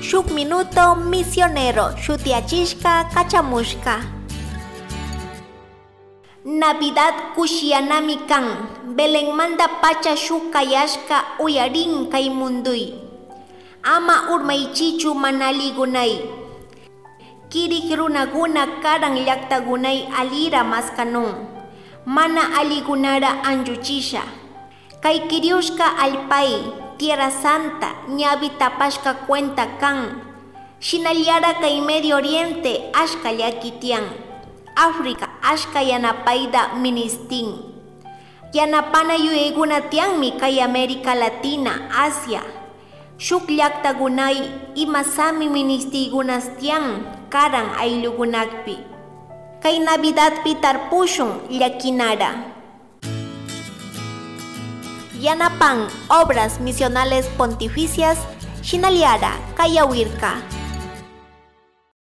Shuk Minuto Misionero shutiyachishka kachamushka. Navidad kushiyanami kan, Belenmanta pacha shuk kayashka uyarin kay munduy. Ama urmaichichu mana alligunay. Kirik runaguna karan llaktagunay alira maskanun. Mana alligunara anchuchisha. Kay kiriushka allpay, Tierra Santa, ñavi tapashka cuenta kan. Shinallara kay Medio Oriente ashka llaki tiyan. África ashka yanapayta ministin. Yanapana yuyaykuna tiyanmi kay América Latina, Asia. Shuk llaktagunay imasami ministiykunas tiyan karan ayllukunakpi. Kay Navidadpi tarpushun llakinara. Yanapan Obras Misionales Pontificias, Shinallara, Kayawirka.